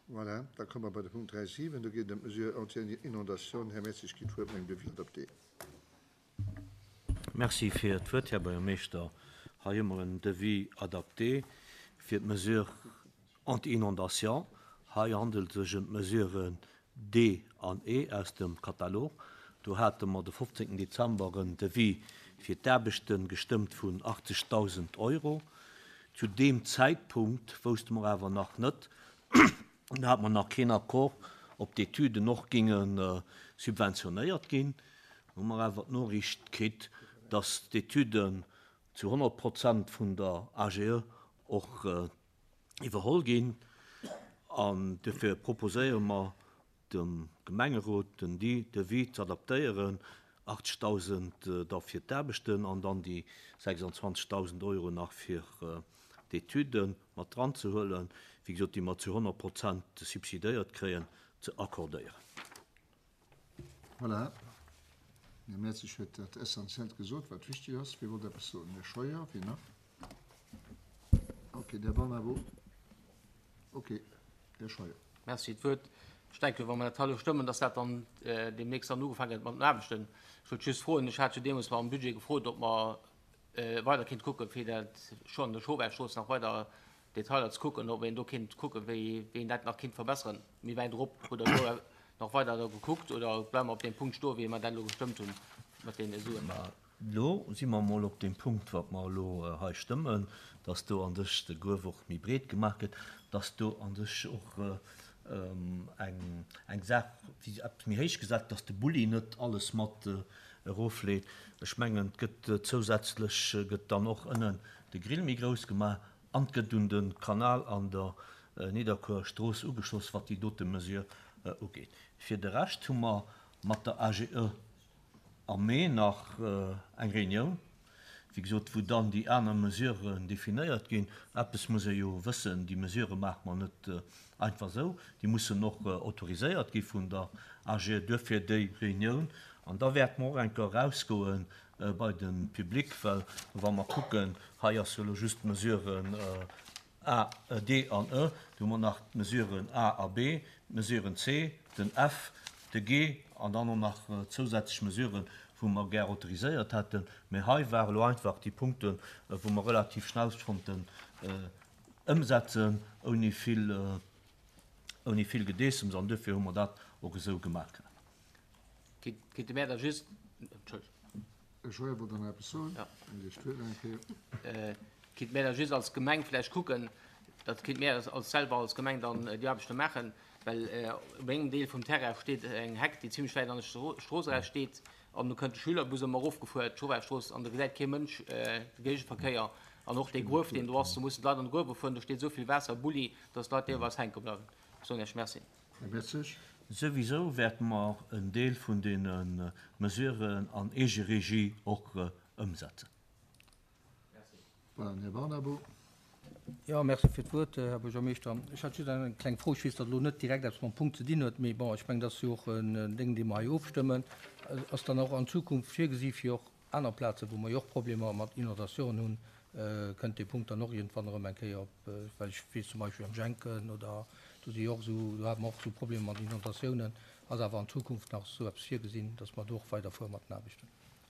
Voilà, da komme mer bei de Punkt 3.7. Do geet et ëm d'Mesure anti-inondation. Här Mertzig kritt d'Wuert mat engem Devis adapté. Merci fir d'Wuert, Här Buergermeeschter. Hei hu mer en Devis adapté fir d'Mesure anti-inondation. Hei handelt et sech ëm d'Mesuren D an E aus dem Katalog. Do hate mer de 15 Dezember en Devis fir d'Aarbechte gestëmmt vun 80.000 Euro. Zu deem Zäitpunkt wousste mer awer nach net, do hate mer nach keen Accord, ob d'Etüden och géinge subventionéiert ginn. Hu mer awer d'Noriicht kritt, dass d'Etüden zu 100 Prozent vun der AGE och iwwerholl ginn. An duerfir proposéiere mer dem Gemengerot, den Devis ze adaptéieren, 80.000 da fir d'Aarbechten an dann déi 26.000 Euro nach fir d'Etüde mat dran ze huelen, wéi gesot, déi mer zu 100 Prozent subsidéiert kréien, ze accordéieren. Voilà, den Här Mertzig huet dat Essentiellt gesot, wat wichtig ass. Wie wollt eppes soen? Här Scheuer, wien nach? Okay, den Här Barnabo. Okay, Här Scheuer. Merci. D'Wuert. Ech denken, wa mer dat hei elo stëmmen, dass dat dann deemnächst dann ugefaange gëtt mat den Aarbechten. Ech wollt just froen, ech hat jo deemools am Budget gefrot, ob mer weider kéint kucken, fir dat scho an der Schobergstrooss nach weider Detailer ze kucken, ob een do kéint kucken, wéi een dat nach kéint verbesseren. Méi wäit erop. Hutt Der do nach weider da gekuckt oder bleiwe mer op deem Punkt stoen, wéi mer dat elo gestëmmt hunn mat deene Suen? Mä elo si mer emol op deem Punkt, wat mer elo hei stëmmen, dass do an sech de Gruef och méi breet gemaach gëtt, dass do an sech och eng eng Saach, wéi eppes méi héich gesat, dass de Bulli net alles mat erofleet. Ech mengen, et gëtt zousätzlech gëtt dann och ënnen de Grill méi grouss gemaach an et gëtt un de Kanal an der Nidderkuerer Strooss ugeschloss, wat déi dote Mesure ugeet. Fir de Rescht hu mer mat der AGE am Mee nach eng Reunioun, wéi gesot, wou dann déi aner Mesuren definéiert ginn. Eppes muss ee jo wëssen, Déi Mesurë maache mer net einfach esou, déi mussen och autoriséiert gi vun der AGE. Duerfir déi Reunioun. An da wäerte mer och eng Kéier erausgoe bei de Public, well wa mer kucken, hei ass jo elo just d'Mesure A, D an E, do hu mer nach d'Mesuren A a B, d'Mesuren C, den F, de G an dann och nach zousätzlech Mesuren, wou mer gär autoriséiert hätten. Mä hei ware elo einfach déi Punkten, wou mer relativ schnell konnten ëmsetzen, ouni vill, ouni vill Gedeessems. An duerfir hu mer dat och esou gemaach. Kéinte mär da just, Entschëllegt. Här Scheuer wollt nach eppes soen. Dir huet nach eng Kéier. Kéinte mär da just als Gemeng vläicht kucken, dat kéinte mär als selwer als Gemeng dann déi Aarbechte maachen, well op engem Deel vum Terrain steet eng Heck, déi zimlech wäit an der Strooss eraus steet an do kënnt de Schülerbus ëmmer erofgefuer d'Schobergstrooss an do gesäit kee Mënsch de Géigeverkéier an och dee Gruef, deen do ass, do mussen d'Leit an de Gruef erfueren, do steet esou vill Waasser, Bulli, datt d'Leit deelweis hänke bleiwen. Ech soen Iech Merci. Här Mertzig. Souwisou wäerte mer en Deel vun deene Mesuren an Eegeregie och ëmsetzen. Voilà, den Här Barnabo. Jo, merci fir d'Wuert, Här Buergermeeschter. Ech hat just eng kleng Fro. Ech weess, datt elo net direkt eppes mam Punkt ze dinn huet, mee bon, ech mengen, dat ass jo och en Déng, dee mer hei ofstëmmen. Ass dann och an Zukunft virgesi fir och aner Plazen, wou mer jo och Problemer mat Inondatiounen hunn, kënnt dee Punkt dann och iergendwann erëm eng Kéier op, well ech weess zum Beispill am Jenken oder do si jo och esou, do hate mer och esou Problemer mat Inondatiounen. Ass awer an Zukunft nach esou eppes virgesinn, datt mer do och weiderfuere mat den Aarbechten?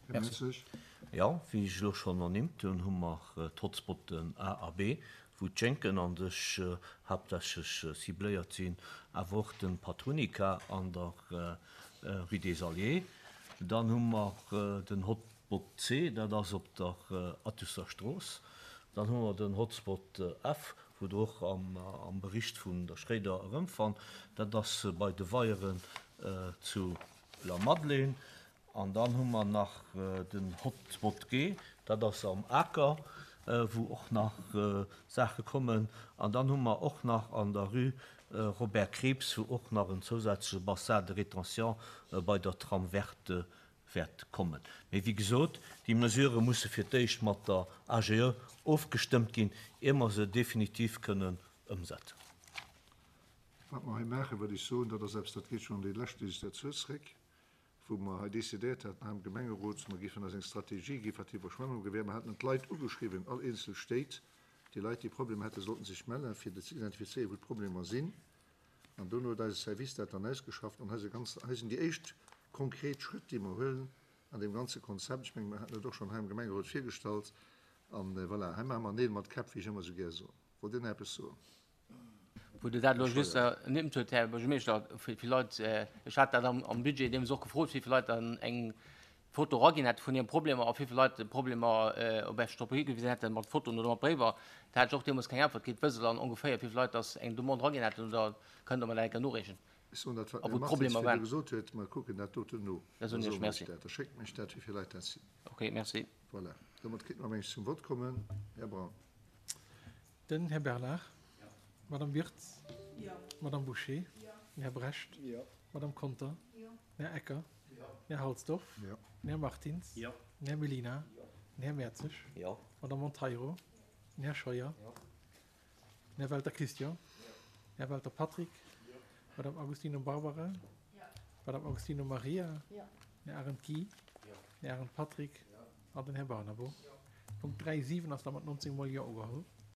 Här Mertzig. Jo, wéi ech elo schonn ernimmt hunn, hu mer d'Hotspotten A a B, wou d'Jenken an sech haaptsächlech cibléiert sinn, awer och de Patrunica an der Rue des Alliés. Dann hu mer den Hotspot C, dat ass op der Attusser Strooss. Dann hu mer den Hotspot F, wou Der och am Bericht vun der Schréider erëmfannt. Dat ass bei de Weieren zu Lamadelaine. An dann hu mer nach den Hotspot G, dat ass am Aker, wou och nach Saache kommen. An dann hu mer och nach an der Rue Robert Krieps, wou och nach en zousätzleche Bassin de rétention bei der Trame verte wäert kommen. Mee wéi gesot, déi Mesurë musse fir d'éischt mat der AGE ofgestëmmt ginn, ier mer se definitiv kënnen ëmsetzen. Wat mer hei maachen, wëll ech soen, dat ass eppes, dat geet schonn an déi lescht Legislatur zréck, wou mer hei decidéiert haten hei am Gemengerot, mer géifen eis eng Strategie gi wat d'Iwwerschwemmung ugeet. Mer haten d'Leit ugeschriwwen, all eenzel Stéit, déi Leit, déi Problemer hätten, sollten sech mellen, fir ze identifizéieren, wou d'Problemer sinn. An dono huet eise Service dat dann ausgeschafft. An hei si ganz, hei sinn déi éischt konkret Schrëtt, déi mer huelen an deem ganze Konzept. Ech mengen, mer haten et och schonn hei am Gemengerot virgestallt. An voilà, hei maache mer Neel mat Käpp, wéi ech ëmmer esou gär soen. Wollt Dir nach eppes soen? Wou Der dat elo just ernimmt hutt, Här Buergermeeschter, wéi vill Leit, ech hat dat am Budget deemools och gefrot, wéi vill Leit dann eng Foto eraginn hätte vun hire Problemer a wéi vill Leit Problemer op Esch drop higewisen hätten, mat Fotoen oder mat Bréiwer. Da hat ech och deemools keng Äntwert kritt. Wësst Der dann ongeféier, wéi vill Leit dass eng Demande eraginn hätten oder kënnt Der mer dat eng Kéier noreechen? Ech soen dat, wat den Här Martins virdu gesot huet, mer kucken dat doten no. Da soen ech Merci. Da schéckt mech dat, wéi vill Leit dat sinn. Okay, merci. Voilà, domat kéinte mer, meng ech, zum Vott kommen. Här Braun. Den Här Bernard. D'Madame Wirtz. D'Madame Bouché. Den Här Brecht. D'Madame Conter. Den Här Ecker. Den Här Halsdorf. Den Här Martins. Den Här Mellina. Den Här Mertzig. D'Madame Monteiro. Den Här Scheuer. Den Här Welter Christian. Den Här Welter Patrick. D'Madame Agostino Barbara. D'Madame Agostino Maria. Den Här Arendt Guy. Den Här Arendt Patrick an den Här Barnabo. Punkt 3, 7 ass da mat 19 mol Jo ugeholl.